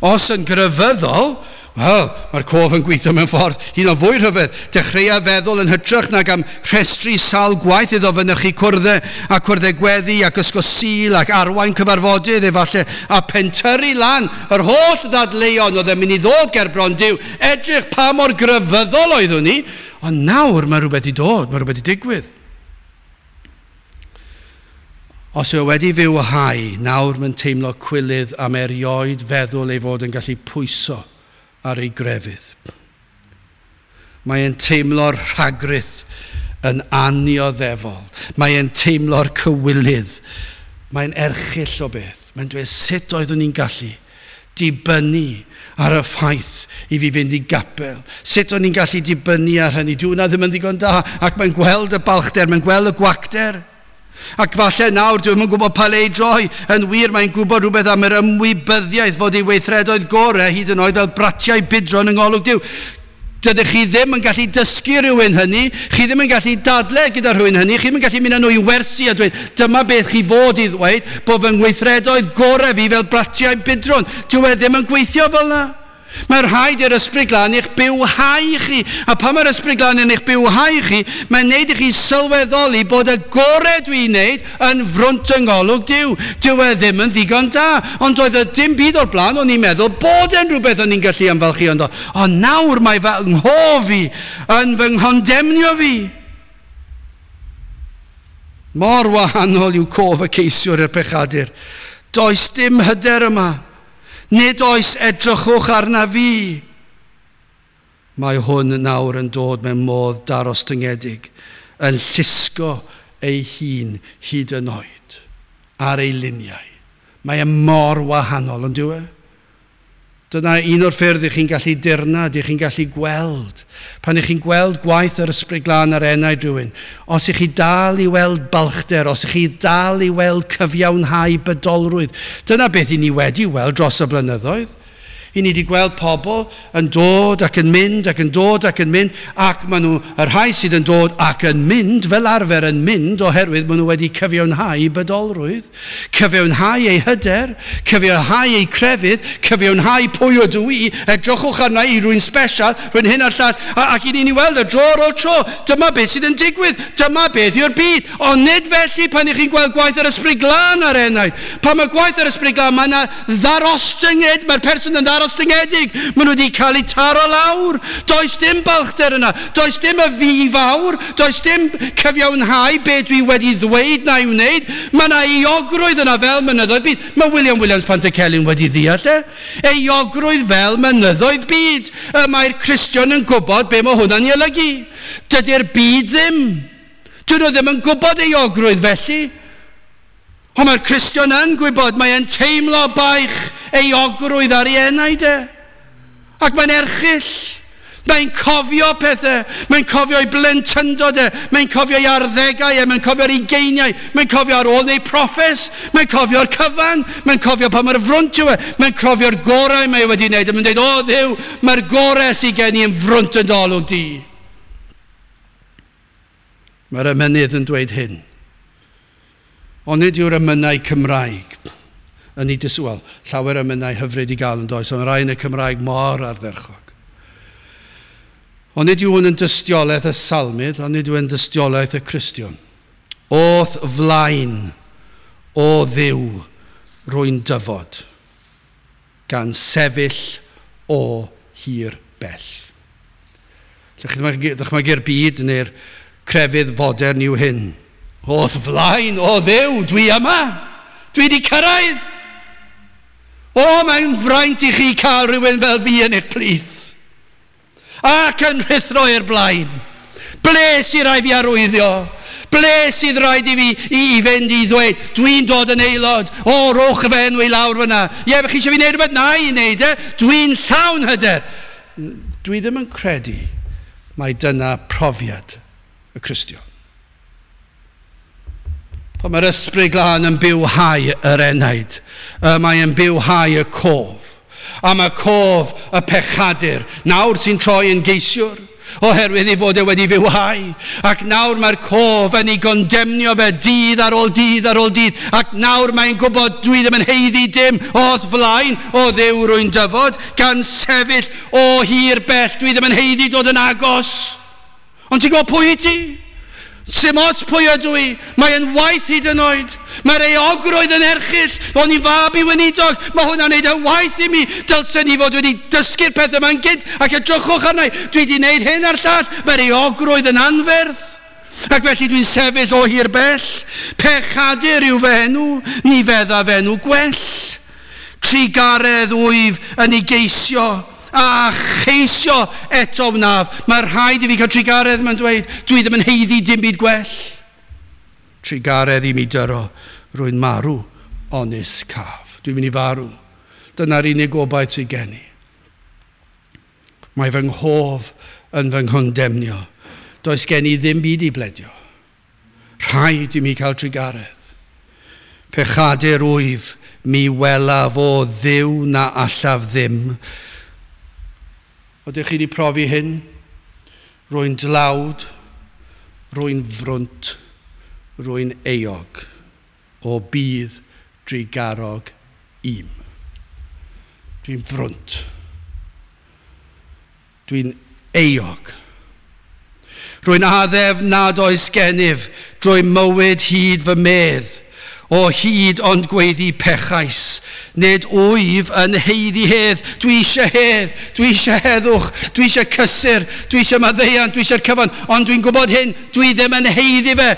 Os yn grefyddol, wel, mae'r cof yn gweithio mewn ffordd hyn o fwy rhyfedd. Dechreua feddwl yn hytrach nag am rhestru sawl gwaith iddo fynychu cwrddau a cwrddau gweddi ac ysgol Sul ac arwain cyfarfodydd efallai a pentyrru lan yr holl ddadleuon oedd yn mynd i ddod ger bron Duw. Edrych pa mor grefyddol oeddwn ni. Ond nawr mae rhywbeth i dod, mae rhywbeth i digwydd. Os yw wedi fywhau, nawr mae'n teimlo cwilydd am erioed feddwl ei fod yn gallu pwyso ar ei grefydd. Mae'n teimlo'r rhagrith yn annioddefol. Mae'n teimlo'r cywilydd. Mae'n erchyll o beth. Mae'n dweud sut oeddwn ni'n gallu dibynnu ar y ffaith i fi fynd i gapel. Sut o'n i'n gallu dibynnu ar hynny? Dyw hwnna ddim yn ddigon da. Ac mae'n gweld y balchder, mae'n gweld y gwacter. Ac falle nawr, dwi'm yn gwybod pa le i droi. Yn wir, mae'n gwybod rhywbeth am yr ymwybyddiaeth fod ei weithredoedd gorau hyd yn oed fel bratiau budron yng ngolwg Duw. Dydych chi ddim yn gallu dysgu rhywun hynny, chi ddim yn gallu dadle gyda rhywun hynny, chi ddim yn gallu mynd â nhw i wersi a dweud, dyma beth chi fod i ddweud, bod fy ngweithredoedd gorau fi fel bratiau budron. Dyw e ddim yn gweithio fel yna. Mae rhaid i'r Ysbryd Glân eich bywhau chi. A pan mae'r Ysbryd Glân yn eich bywhau chi, mae'n neud i chi sylweddoli bod y gorau dwi'n neud yn frwnt yng ngolwg Duw. Dyw e ddim yn ddigon da. Ond doedd e dim byd o'r blaen, o'n i'n meddwl bod e'n rhywbeth o'n i'n gallu ymfalchïo ynddo. Ond nawr mae fy nghof i yn fy nghondemnio fi. Mor wahanol yw cof y ceisiwr i'r pechadur. Does dim hyder yma. Nid oes edrychwch arna fi. Mae hwn nawr yn dod mewn modd darostyngedig, yn llusgo ei hun hyd yn oed ar ei liniau. Mae e mor wahanol, ond dyw e? Dyna un o'r ffyrdd i chi'n gallu dirnad, i chi'n gallu gweld. Pan i chi'n gweld gwaith yr Ysbryd Glân ar enaid rhywun, os i chi dal i weld balchder, os i chi dal i weld cyfiawnhau bydolrwydd, dyna beth i ni wedi weld dros y blynyddoedd. I ni wedi gweld pobl yn dod ac yn mynd ac yn dod ac yn mynd, ac maen nhw, y rhai sydd yn dod ac yn mynd, fel arfer yn mynd, oherwydd maen nhw wedi cyfiawnhau bydolrwydd, cyfiawnhau eu hyder, cyfiawnhau eu crefydd, cyfiawnhau pwy ydw i, edrychwch arna i, rwy'n special, rwy'n hyn a'r llall, ac i ni'n weld y dro ar ôl tro, dyma beth sydd yn digwydd, dyma beth yw'r byd, ond nid felly pan i chi'n gweld gwaith yr Ysbryd Glân ar enaid. Pan mae gwaith yr Ysbryd Glân, mae yna ddarostynged, mae'r person yn ddarostyngedig, maen nhw wedi cael eu taro lawr. Does dim balchder yna, does dim y fi fawr, does dim cyfiawnhau be dwi wedi ddweud na i wneud. Mae yna euogrwydd yna fel mynyddoedd byd. Mae William Williams Pantycelyn wedi ddeall e. Euogrwydd fel mynyddoedd byd. Y mae'r Cristion yn gwybod be mae hwnna'n ei olygu. Dydy'r byd ddim. Dyn nhw ddim yn gwybod euogrwydd felly. Ond mae'r Cristion yn gwybod, mae e'n teimlo baich euogrwydd ar ei enaid e. Ac mae'n erchyll. Mae'n cofio pethau, mae'n cofio ei blentyndod e, mae'n cofio ei arddegau e, mae'n cofio'r ugeiniau, mae'n cofio ar ôl neu proffes, mae'n cofio'r cyfan, mae'n cofio pa mor frwnt yw e, mae'n cofio'r gorau mae wedi wneud, a mae'n dweud, o Dduw, mae'r gorau sydd gen i yn frwnt yn dolwg di. Mae'r emynydd yn dweud hyn. Ond nid yw'r emynau Cymraeg yn ei diswel. Llawer emynau hyfryd i gael yn does, ond rai yn y Cymraeg mor ardderchog. Ond nid yw hwn yn dystiolaeth y salmydd, ond nid yw yn dystiolaeth y Cristion. O'th flaen, o Dduw, rwy'n dyfod, gan sefyll o hir bell. Dychmygu'r byd neu'r crefydd fodern yw hyn. O'th flaen, o Dduw, dwi yma, dwi wedi cyrraedd. O, mae'n fraint i chi cael rhywun fel fi yn eich plith. Ac yn rhuthro i'r blaen. Ble sydd rhaid fi arwyddio? Ble sydd rhaid i fi i, i fynd i ddweud, dwi'n dod yn aelod, o, rowch fy enw i lawr fyna. Ie, chi eisiau fi wneud rhywbeth? Na i wneud e. Dwi'n llawn hyder. Dwi ddim yn credu mai dyna profiad y Cristion. Pan mae'r Ysbryd Glân yn bywhau yr enaid, mae'n bywhau y cof. A mae cof y pechadur, nawr sy'n troi yn geisiwr, oherwydd ei fod e wedi fywhau. Ac nawr mae'r cof yn ei gondemnio fe dydd ar ôl dydd ar ôl dydd. Ac nawr mae'n gwybod dwi ddim yn haeddu dim o'th flaen, o Dduw rwy'n dyfod, gan sefyll o hir bell, dwi ddim yn haeddu dod yn agos. Ond ti'n gwybod pwy i ti? Sim ots pwy ydw i, mae'n waith hyd yn oed. Mae'r euogrwydd yn erchyll, o'n i'n fab i weinidog, mae hwnna'n neud yn waith i mi. Dylsen ni fod wedi dysgu'r pethau yma'n gynt, ac edrychwch arna i, dwi wedi wneud hyn a'r llall, mae'r euogrwydd yn anferth. Ac felly dwi'n sefyll o hir bell. Pechadur yw fy enw, ni feddaf enw gwell. Trugaredd wyf yn ei geisio, a cheisio eto wnaf. Mae rhaid i fi cael trugaredd, mae'n dweud. Dwi ddim yn haeddu dim byd gwell. Trugaredd i mi dyro, rwy'n marw onis caf. Dwi'n mynd i farw. Dyna'r unig gobaith sydd gen i. Mae fy nghof yn fy nghondemnio. Does gen i ddim byd i bledio. Rhaid i mi cael trugaredd. Pechadur wyf, mi welaf o Dduw na allaf ddim. Ydych chi wedi profi hyn? Rwy'n dlawd, rwy'n frwnt, rwy'n euog, o bydd drugarog im. Dwi'n frwnt. Dwi'n euog. Rwy'n addef nad oes gennyf drwy mywyd hyd fy medd, o hyd ond gweiddi pechais. Nid wyf yn haeddu hedd. Dwi eisiau hedd, dwi eisiau heddwch, dwi eisiau cysur, dwi eisiau maddeuant, dwi eisiau'r cyfan, ond dwi'n gwybod hyn, dwi ddim yn haeddu fe.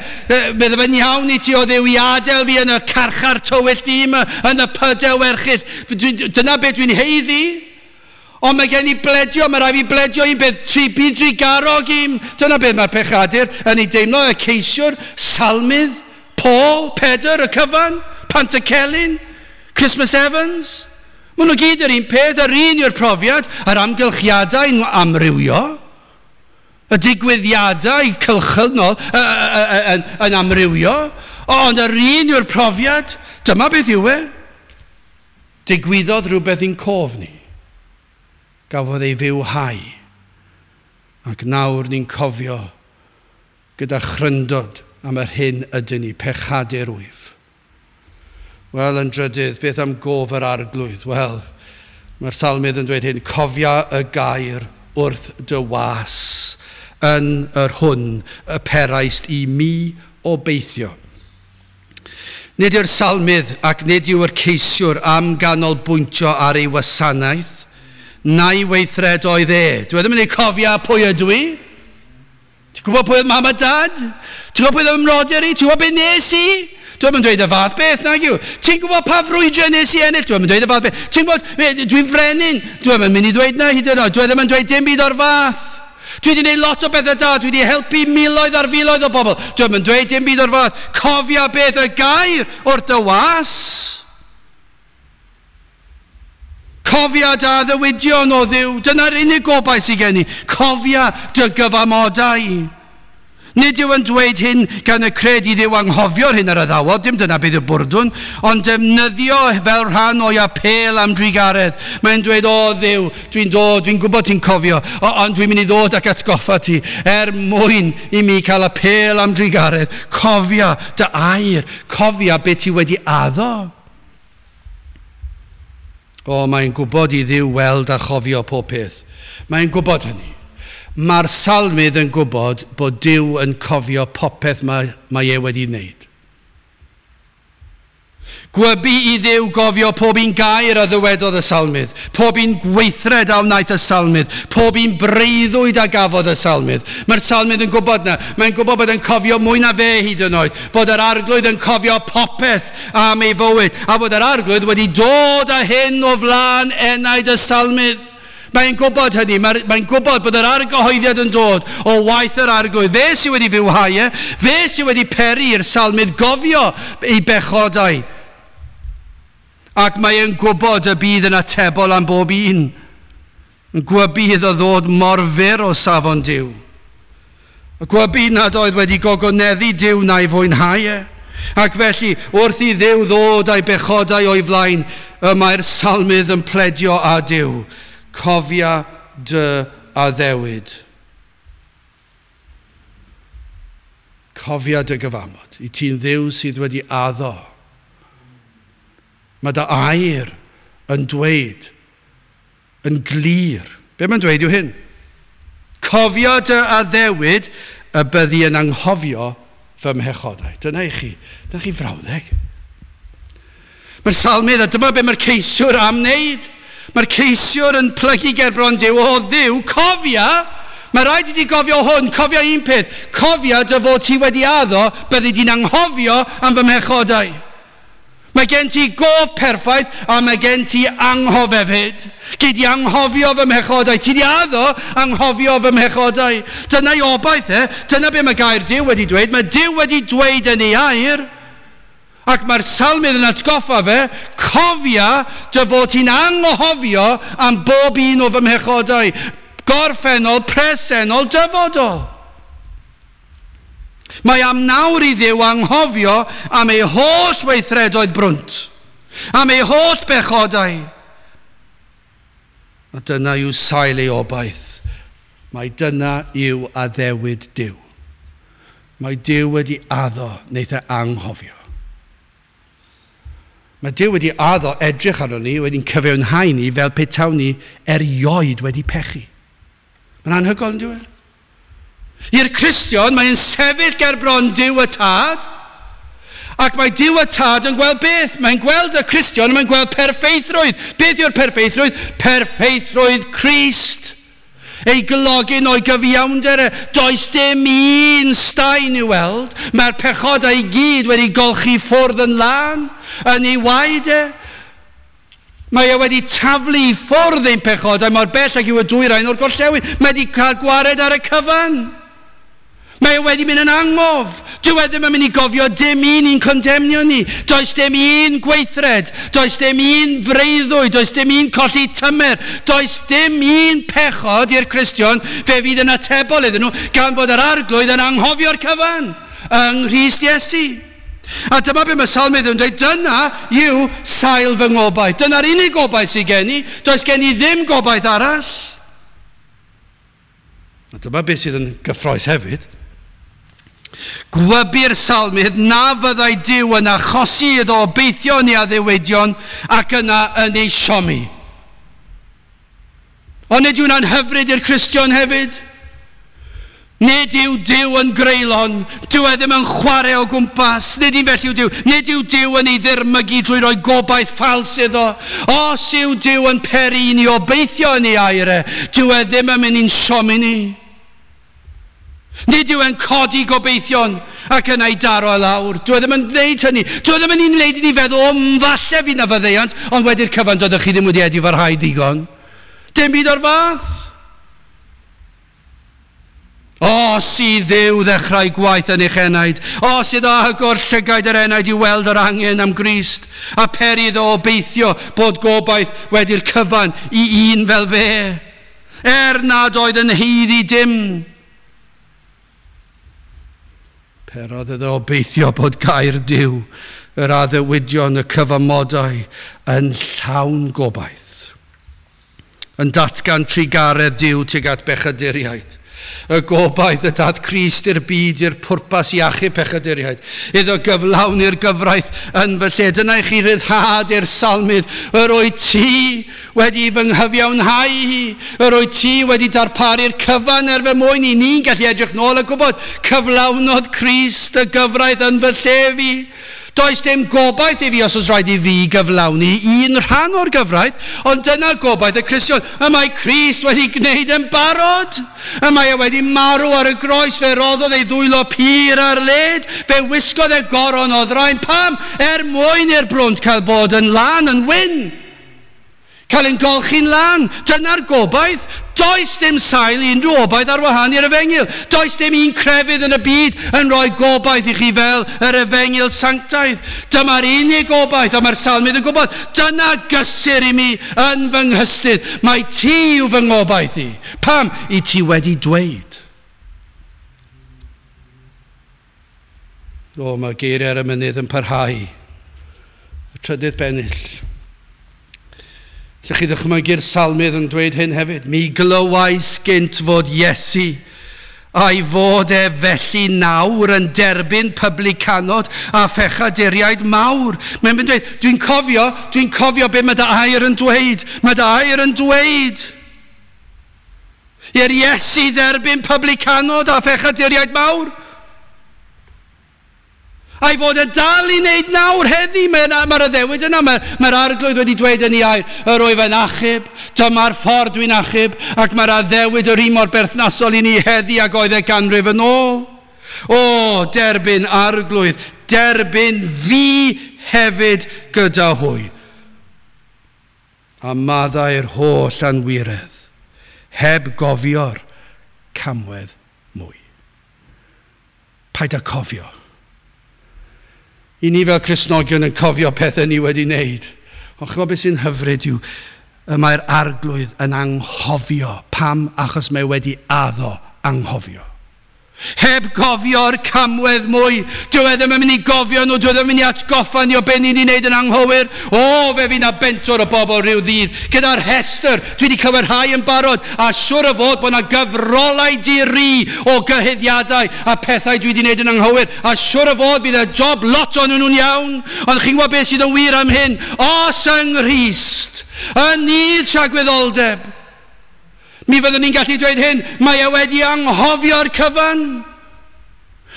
Bydde fe'n iawn i ti o Dduw i adael fi yn y carchar tywyll du yma, yn y pydew erchyll. Dyna beth dwi'n haeddu. Ond mae gen i bledio, mae rhaid fi bledio un beth, tri bydd drugarog i'm. Dyna beth mae'r pechadur yn ei deimlo, y ceisiwr, salmydd, Paul, Pedr, y cyfan, Pantycelyn, Christmas Evans. Maen nhw gyd yr un peth, yr un yw'r profiad, yr amgylchiadau'n amrywio, y digwyddiadau cylchynol yn, yn amrywio, ond yr un yw'r profiad, dyma beth yw e. Digwyddodd rhywbeth i'n cof ni. Gafodd ei fywhau. Ac nawr ni'n cofio gyda chryndod am yr hyn ydyn ni, pechadur wyf. Wel, yn drydydd, beth am gof yr arglwydd? Wel, mae'r salmydd yn dweud hyn, cofia y gair wrth dy was yn yr hwn y peraist i mi obeithio. Nid yw'r salmydd ac nid yw'r ceisiwr am ganolbwyntio ar ei wasanaeth, na'i weithredoedd e. Dwi ddim yn ei cofia pwy ydw i. Ti'n gwybod pwy oedd mam a dad? Ti'n gwybod pwy oedd ymrodyr i? Ti'n gwybod beth nes i? Dwi ddim yn dweud y fath beth, nag yw. Ti'n gwybod pa frwydrau nes i ennill? Dwi ddim yn dweud y fath beth. Ti'n gwybod, dwi'n frenin. Dwi ddim yn mynd i ddweud na hyd yn oed. Dwi ddim yn dweud dim byd o'r fath. Dwi wedi gwneud lot o bethau da. Dwi wedi helpu miloedd ar filoedd o bobl. Dwi ddim yn dweud dim byd o'r fath. Cofia beth y gair o'r dy was. Cofia dy addewidion o Dduw. Dyna'r unig gobaith sydd gen i. Cofia dy gyfamodau. Nid yw yn dweud hyn gan y cred i Dduw anghofio'r hyn ar addawod, dim dyna beth yw bwrdwn, ond defnyddio fel rhan o'i apêl am drugaredd. Mae'n dweud, o Dduw, dwi'n dod, dwi'n gwybod ti'n cofio, ond dwi'n mynd i ddod ac atgoffa ti, er mwyn i mi cael apêl am drugaredd. Cofia dy air, cofia beth ti wedi addo. O, mae'n gwybod i Dduw weld a chofio pob peth. Mae'n gwybod hynny. Mae'r salmydd yn gwybod bod Duw yn cofio popeth mae, mae e wedi wneud. Gwybu i Dduw gofio pob un gair a ddywedodd y salmydd, pob un gweithred a wnaeth y salmydd, pob un breuddwyd a gafodd y salmydd. Mae'r salmydd yn gwybod na, mae'n gwybod bod yn cofio mwy na fe hyd yn oed, bod yr arglwydd yn cofio popeth am ei fywyd, a bod yr arglwydd wedi dod â hyn o flaen enaid y salmydd. Mae'n gwybod hynny, mae'n mae gwybod bod yr argyhoeddiad yn dod o waith yr arglwydd. Fe sydd wedi fywhau e, fe sydd wedi peri i'r salmydd gofio ei bechodau. Ac mae'n gwybod y bydd yn atebol am bob un. Yn gwybu iddo ddod mor fyr o safon Duw. Y gwybu nad oedd wedi gogoneddu Duw na'i fwynhau e. Ac felly, wrth i Dduw ddod a'i bechodau o'i flaen, y mae'r salmydd yn pledio â Duw. Cofia dy addewid. Cofia dy gyfamod. I ti'n Dduw sydd wedi addo. Mae dy air yn dweud, yn glir. Be mae'n dweud yw hyn? Cofia dy addewid y byddi yn anghofio fy mhechodau. Dyna i chi. Dyna chi frawddeg. Mae'r salmydd, a dyma be mae'r ceisiwr am wneud. Mae'r ceisiwr yn plygu gerbron Duw, o Dduw, cofia, mae rhaid i ti gofio hwn, cofia un peth, cofia dy fod ti wedi addo, byddi di'n anghofio am fy mhechodau. Mae gen ti gof perffaith a mae gen ti anghof hefyd. Gei di anghofio fy mhechodau, ti di addo anghofio fy mhechodau. Dyna'i obaith e, dyna be mae gair Duw wedi dweud, mae Duw wedi dweud yn ei air. Ac mae'r salmydd yn atgoffa fe, cofia dy fod ti'n anghofio am bob un o fy mhechodau, gorffennol, presennol, dyfodol. Mae am nawr i Dduw anghofio am ei holl weithredoedd brwnt, am ei holl bechodau. A dyna yw sail ei obaith. Mae dyna yw addewid Duw. Mae Duw wedi addo, wneith e anghofio. Mae Duw wedi addo edrych arno ni, wedi'n cyfiawnhau ni fel petawn ni erioed wedi pechu. Mae'n anhygoel yn dyw e? I'r Cristion, mae'n sefyll ger bron Duw y Tad, ac mae Duw y Tad yn gweld beth? Mae'n gweld y Cristion, mae'n gweld perffeithrwydd. Beth yw'r perffeithrwydd? Perffeithrwydd Crist. Ei glogyn o'i gyfiawnder, does dim un staen i'w weld. Mae'r pechodau i gyd wedi golchi ffwrdd yn lân, yn ei waed e. Mae e wedi taflu i ffwrdd ein pechodau mor bell ag yw y dwyrain o'r gorllewin. Mae wedi cael gwared ar y cyfan. Mae e wedi mynd yn angof. Dyw e ddim yn mynd i gofio dim un i'n condemnio ni. Does dim un gweithred. Does dim un freuddwyd. Does dim un colli tymer. Does dim un pechod i'r Cristion fe fydd yn atebol iddyn nhw gan fod yr arglwydd yn anghofio'r cyfan yng Nghrist Iesu. A dyma be mae salmydd yn dweud, dyna yw sail fy ngobaith. Dyna'r unig gobaith sydd gen i. Does gen i ddim gobaith arall. A dyma beth sydd yn gyffrous hefyd. Gwybu'r salmydd na fyddai Duw yn achosi iddo obeithio neu addewidion ac yna yn ei siomi. Ond nid yw'n anhyfryd i'r Cristion hefyd? Nid yw Duw yn greulon, dyw e ddim yn chwarae o gwmpas, nid un felly yw Duw. Nid yw Duw yn ei ddirmygu drwy roi gobaith ffals iddo. Os yw Duw yn peri i ni obeithio yn ei air e, dyw e ddim yn mynd i'n siomi ni. Nid yw e'n codi gobeithion ac yna i daro e lawr. Dyw e ddim yn gwneud hynny. Dyw e ddim yn ei wneud i ni feddwl, o, falle fydd na faddeuant, ond wedi'r cyfan doeddech chi ddim wedi edifarhau digon. Dim byd o'r fath. Os i Dduw ddechrau gwaith yn eich enaid, os iddo agor llygaid yr enaid i weld yr angen am Grist, a peri iddo obeithio bod gobaith wedi'r cyfan i un fel fe, er nad oedd yn haeddu dim. Perodd iddo obeithio bod gair Duw, yr addewidion, y cyfamodau yn llawn gobaith, yn datgan trugaredd Duw tuag at bechaduriaid. Y gobaith y daeth Crist i'r byd i'r pwrpas i achub pechaduriaid, iddo gyflawni'r gyfraith yn fy lle. Dyna i chi ryddhad i'r salmydd. Yr wyt ti wedi fy nghyfiawnhau i, yr wyt ti wedi darparu'r cyfan er fy mwyn i. Ni'n gallu edrych nôl a gwybod cyflawnodd Crist y gyfraith yn fy lle fi. Does dim gobaith i fi os oes rhaid i fi gyflawni un rhan o'r gyfraith, ond dyna gobaith y Cristion. Y mae Crist wedi gwneud yn barod. Y mae e wedi marw ar y groes, fe roddodd ei ddwylo pur ar led, fe wisgodd e goron o ddraen. Pam? Er mwyn i'r brwnt cael bod yn lân, yn wyn. Cael yn golchi'n lân. Dyna'r gobaith. Does dim sail i unrhyw obaith ar wahân i'r efengyl. Does dim un crefydd yn y byd yn rhoi gobaith i chi fel yr efengyl sanctaidd. Dyma'r unig gobaith, a mae'r salmydd yn gwybod, dyna gysur i mi yn fy nghystudd. Mae ti yw fy ngobaith i. Pam? I ti wedi dweud. O, mae geiriau ar y mynydd yn parhau. Y trydydd bennill. Lle chi ddychmygu'r salmydd yn dweud hyn hefyd. Mi glywais gynt fod Iesu, a'i fod e felly nawr yn derbyn publicanod a phechaduriaid mawr. Mae'n mynd dweud, dwi'n cofio, dwi'n cofio be mae dy air yn dweud. Mae dy air yn dweud. I'r Iesu dderbyn publicanod a phechaduriaid mawr. A'i fod yn dal i wneud nawr heddi. Mae'r mae addewid yna, mae'r mae arglwydd wedi dweud yn ei air, yr wyf yn achub, dyma'r ffordd dwi'n achub, ac mae'r addewid yr un mor berthnasol i ni heddi ag oedd e ganrif yn ôl. O, derbyn arglwydd, derbyn fi hefyd gyda hwy. A maddau'r holl anwiredd, heb gofio'r camwedd mwy. Paid â cofio. I ni fel Cristnogion yn cofio pethau ni wedi wneud. Ond chymod beth sy'n hyfryd yw, y mae'r arglwydd yn anghofio. Pam? Achos mae wedi addo anghofio. Heb gofio'r camwedd mwy. Dyw e ddim yn mynd i gofio nhw, dyw e ddim yn mynd i atgoffa ni o be ni wedi wneud yn anghywir. O, fe fydd 'na bentwr o bobl rhyw ddydd gyda'r rhestr. Dwi wedi clywed rhai yn barod, a siwr o fod bod yna gyfrolau di-ri o gyhuddiadau a pethau dwi wedi wneud yn anghywir. A siwr o fod fydd y job lot o'n nhw'n iawn. Ond chi'n gwybod beth sydd yn wir am hyn? Os yng Nghrist, yn nydd tragwyddoldeb, mi fyddwn ni'n gallu dweud hyn, mae e wedi anghofio'r cyfan.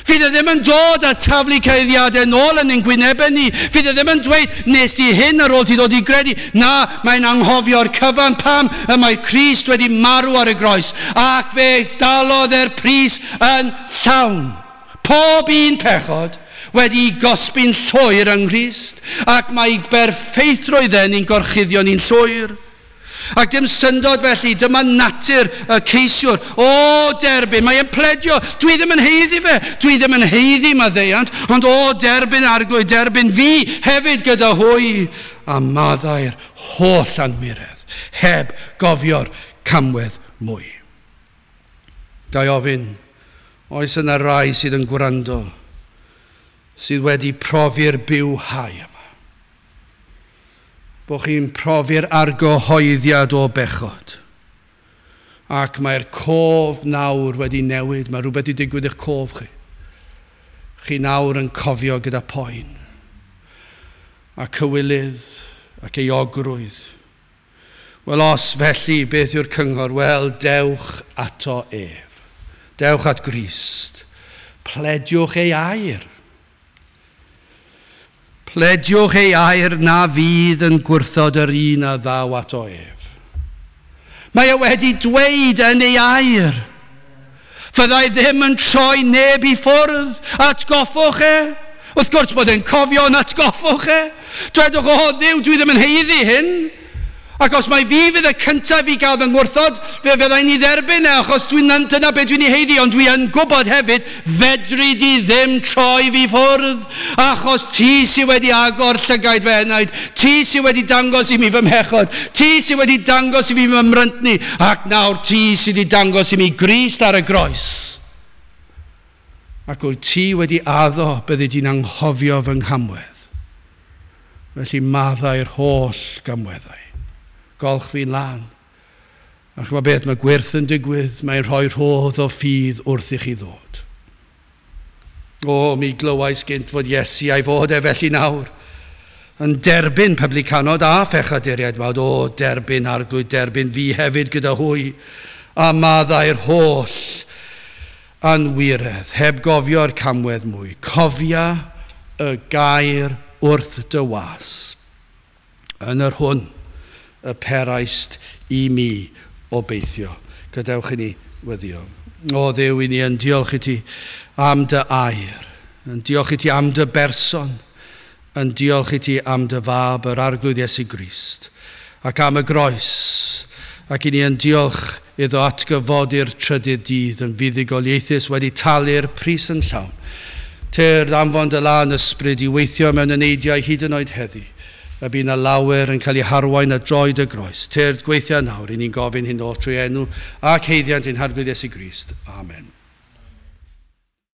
Fydd e ddim yn dod a taflu cyhuddiadau nôl yn ein gwynebau ni. Fydd e ddim yn dweud, nes di hyn ar ôl ti ddod i gredu. Na, mae'n anghofio'r cyfan. Pam? Y mae Crist wedi marw ar y groes, ac fe dalodd e'r pris yn llawn. Pob un pechod wedi gosbi'n llwyr yng Nghrist, ac mae berffeithrwydd e ni'n gorchuddio ni'n llwyr. Ac dim syndod felly, dyma natur y ceisiwr. O, derbyn, mae'n pledio, dwi ddim yn haeddu fe, dwi ddim yn haeddu maddeuant, ond o, derbyn arglwydd, derbyn fi hefyd gyda hwy, a maddau'r holl anwiredd, heb gofio'r camwedd mwy. Ga i ofyn, oes yna rai sydd yn gwrando, sydd wedi profi'r bywhau yma? Bod chi'n profi'r argyhoeddiad o bechod. Ac mae'r cof nawr wedi newid. Mae rhywbeth wedi digwydd i'ch cof chi. Chi nawr yn cofio gyda poen. A cywilydd ac euogrwydd. Wel, os felly, beth yw'r cyngor? Wel, dewch ato ef. Dewch at Grist. Plediwch ei air. Plediwch ei air na fydd yn gwrthod yr un a ddaw ato ef. Mae e wedi dweud yn ei air. Fyddai ddim yn troi neb i ffwrdd. Atgoffwch e. Wrth gwrs bod e'n cofio yn atgoffwch e. Dwedwch, o Dduw, dwi ddim yn haeddu hyn. Ac os mai fi fydd y cyntaf i gael fy ngwrthod, fe fyddai'n ei dderbyn e, achos dwi'n, dyna beth dwi'n ei haeddu, ond dwi yn gwybod hefyd, fedri di ddim troi fi ffwrdd, achos ti sydd wedi agor llygaid fy enaid, ti sydd wedi dangos i mi fy mhechod, ti sydd wedi dangos i fi fy mryntni, ac nawr ti sydd wedi dangos i mi Grist ar y groes. Ac wyt ti wedi addo byddi di'n anghofio fy nghamwedd. Felly maddau'r holl gamweddau. Golch fi'n lân. A chymod beth, mae gwyrth yn digwydd, mae'n rhoi rhodd o ffydd wrth i chi ddod. O, mi glywais gynt fod Iesu a'i fod e felly nawr. Yn derbyn publicanod a phechaduriaid, mawd, o, derbyn Arglwydd, derbyn fi hefyd gyda hwy, a maddau'r holl anwiredd, heb gofio'r camwedd mwy. Cofia y gair wrth dy was, yn yr hwn y peraist i mi obeithio. Gadewch i ni weddio. O Dduw, i ni yn diolch i ti am dy air, yn diolch i ti am dy berson, yn diolch i ti am dy fab, yr Arglwydd Iesu Grist, ac am y groes, ac i ni yn diolch iddo atgyfodi'r trydydd dydd yn fuddugoliaethus wedi talu'r pris yn llawn. Tyrd anfon dy lân ysbryd i weithio mewn eneidiau hyd yn oed heddi, a bydd yna lawer yn cael ei harwain a droed y groes. Tyrd gweithio nawr, i ni'n gofyn hyn oll trwy enw ac haeddiant ein Harglwydd Iesu Grist. Amen.